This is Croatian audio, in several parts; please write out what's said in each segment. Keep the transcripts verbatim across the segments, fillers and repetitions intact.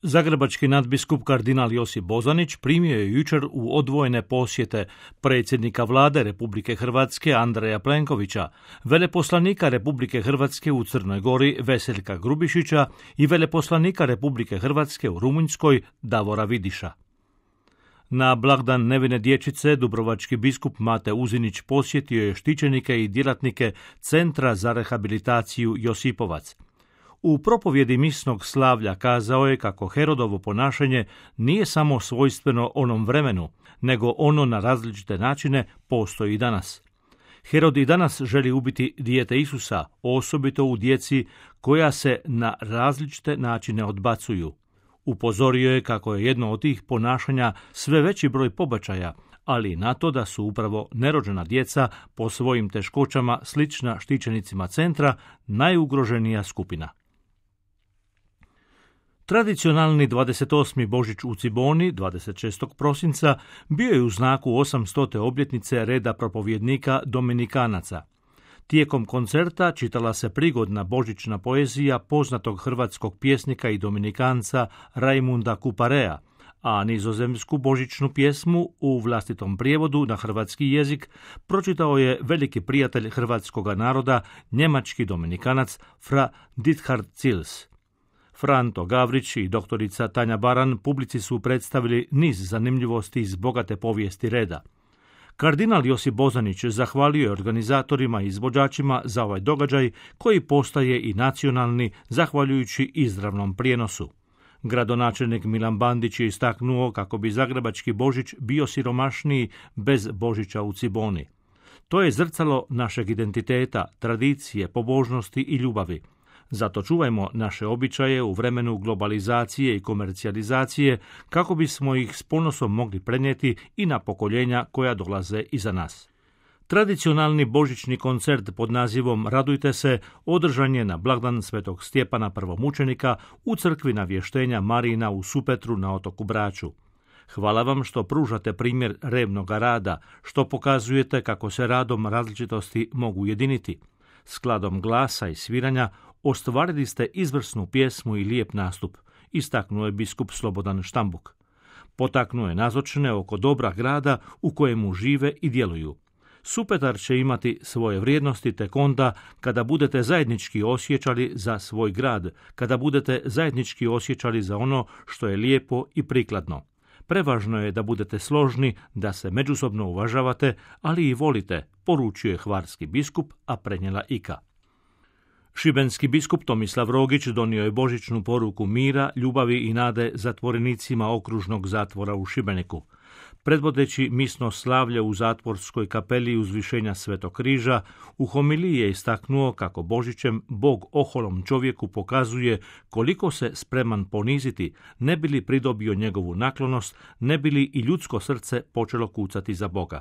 Zagrebački nadbiskup kardinal Josip Bozanić primio je jučer u odvojene posjete predsjednika vlade Republike Hrvatske Andreja Plenkovića, veleposlanika Republike Hrvatske u Crnoj Gori Veseljka Grubišića i veleposlanika Republike Hrvatske u Rumunjskoj Davora Vidiša. Na blagdan nevine dječice dubrovački biskup Mate Uzinić posjetio je štićenike i djelatnike Centra za rehabilitaciju Josipovac. U propovjedi misnog slavlja kazao je kako Herodovo ponašanje nije samo svojstveno onom vremenu, nego ono na različite načine postoji i danas. Herod i danas želi ubiti dijete Isusa, osobito u djeci koja se na različite načine odbacuju. Upozorio je kako je jedno od tih ponašanja sve veći broj pobačaja, ali i na to da su upravo nerođena djeca po svojim teškoćama slična štićenicima centra najugroženija skupina. Tradicionalni dvadeset osmi Božić u Ciboni, dvadeset šestog prosinca, bio je u znaku osamstote obljetnice reda propovjednika Dominikanaca. Tijekom koncerta čitala se prigodna božićna poezija poznatog hrvatskog pjesnika i dominikanca Rajmunda Kuparea, a nizozemsku božićnu pjesmu u vlastitom prijevodu na hrvatski jezik pročitao je veliki prijatelj hrvatskoga naroda, njemački dominikanac Fra Dithard Cils. Franto Gavrić i doktorica Tanja Baran publici su predstavili niz zanimljivosti iz bogate povijesti reda. Kardinal Josip Bozanić zahvalio je organizatorima i izvođačima za ovaj događaj koji postaje i nacionalni zahvaljujući izravnom prijenosu. Gradonačelnik Milan Bandić je istaknuo kako bi zagrebački Božić bio siromašniji bez Božića u Ciboni. To je zrcalo našeg identiteta, tradicije, pobožnosti i ljubavi. Zato čuvajmo naše običaje u vremenu globalizacije i komercijalizacije kako bismo ih s ponosom mogli prenijeti i na pokoljenja koja dolaze iza nas. Tradicionalni božićni koncert pod nazivom Radujte se održan je na blagdan Svetog Stjepana prvomučenika u crkvi Navještenja Marijina u Supetru na otoku Braču. Hvala vam što pružate primjer revnoga rada, što pokazujete kako se radom različitosti mogu ujediniti. Skladom glasa i sviranja ostvarili ste izvrsnu pjesmu i lijep nastup, istaknuo je biskup Slobodan Štambuk. Potaknuo je nazočne oko dobra grada u kojemu žive i djeluju. Supetar će imati svoje vrijednosti tek onda kada budete zajednički osjećali za svoj grad, kada budete zajednički osjećali za ono što je lijepo i prikladno. Prevažno je da budete složni, da se međusobno uvažavate, ali i volite, poručuje hvarski biskup, a prenijela Ika. Šibenski biskup Tomislav Rogić donio je božićnu poruku mira, ljubavi i nade zatvorenicima okružnog zatvora u Šibeniku. Predvodeći misno slavlje u zatvorskoj kapeli uzvišenja Svetog križa, u homiliji je istaknuo kako Božićem Bog oholom čovjeku pokazuje koliko se spreman poniziti, ne bi li pridobio njegovu naklonost, ne bi li i ljudsko srce počelo kucati za Boga.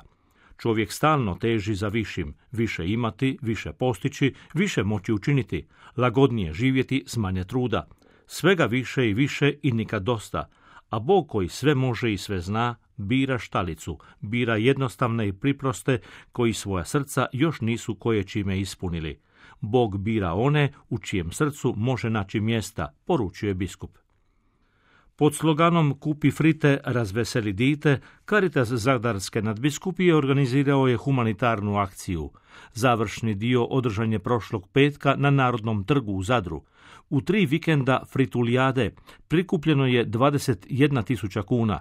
Čovjek stalno teži za višim, više imati, više postići, više moći učiniti, lagodnije živjeti s manje truda. Svega više i više i nikad dosta, a Bog koji sve može i sve zna, bira štalicu, bira jednostavne i priproste koji svoja srca još nisu koje čime ispunili. Bog bira one u čijem srcu može naći mjesta, poručuje biskup. Pod sloganom Kupi frite, razveseli dite, Caritas Zadarske nadbiskupije organizirao je humanitarnu akciju. Završni dio održan je prošlog petka na Narodnom trgu u Zadru. U tri vikenda fritulijade prikupljeno je dvadeset jedna tisuća kuna.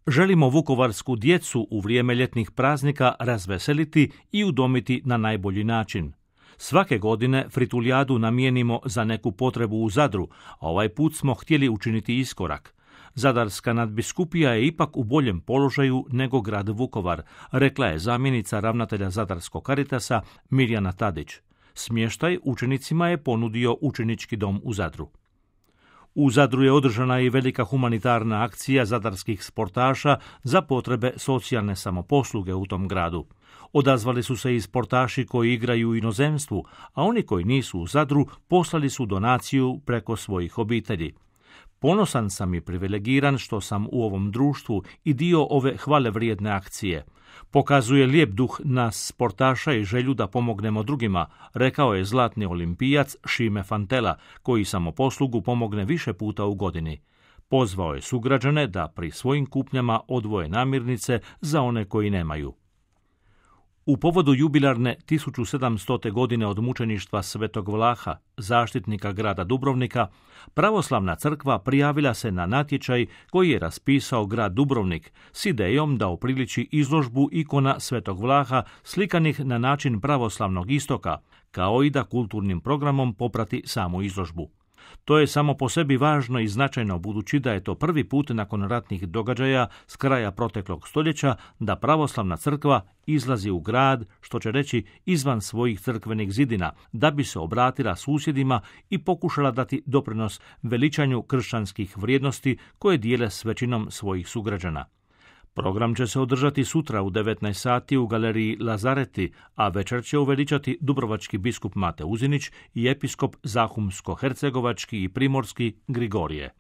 Želimo vukovarsku djecu u vrijeme ljetnih praznika razveseliti i udomiti na najbolji način. Svake godine fritulijadu namijenimo za neku potrebu u Zadru, a ovaj put smo htjeli učiniti iskorak. Zadarska nadbiskupija je ipak u boljem položaju nego grad Vukovar, rekla je zamjenica ravnatelja Zadarskog Caritasa Mirjana Tadić. Smještaj učenicima je ponudio učenički dom u Zadru. U Zadru je održana i velika humanitarna akcija zadarskih sportaša za potrebe socijalne samoposluge u tom gradu. Odazvali su se i sportaši koji igraju u inozemstvu, a oni koji nisu u Zadru poslali su donaciju preko svojih obitelji. Ponosan sam i privilegiran što sam u ovom društvu i dio ove hvalevrijedne akcije. Pokazuje lijep duh nas sportaša i želju da pomognemo drugima, rekao je zlatni olimpijac Šime Fantela, koji samoposlugu pomogne više puta u godini. Pozvao je sugrađane da pri svojim kupnjama odvoje namirnice za one koji nemaju. U povodu jubilarne tisuću sedamstote godine od mučeništva Svetog Vlaha, zaštitnika grada Dubrovnika, pravoslavna crkva prijavila se na natječaj koji je raspisao grad Dubrovnik s idejom da upriliči izložbu ikona Svetog Vlaha slikanih na način pravoslavnog istoka, kao i da kulturnim programom poprati samu izložbu. To je samo po sebi važno i značajno budući da je to prvi put nakon ratnih događaja s kraja proteklog stoljeća da pravoslavna crkva izlazi u grad, što će reći izvan svojih crkvenih zidina, da bi se obratila susjedima i pokušala dati doprinos veličanju kršćanskih vrijednosti koje dijele s većinom svojih sugrađana. Program će se održati sutra u devetnaest sati u galeriji Lazareti, a večer će uveličati dubrovački biskup Mate Uzinić i episkop Zahumsko-hercegovački i primorski Grigorije.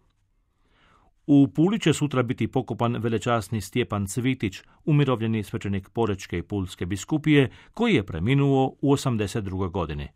U Puli će sutra biti pokopan velečasni Stjepan Cvitić, umirovljeni svećenik Porečke i Pulske biskupije, koji je preminuo u osamdeset drugoj godini.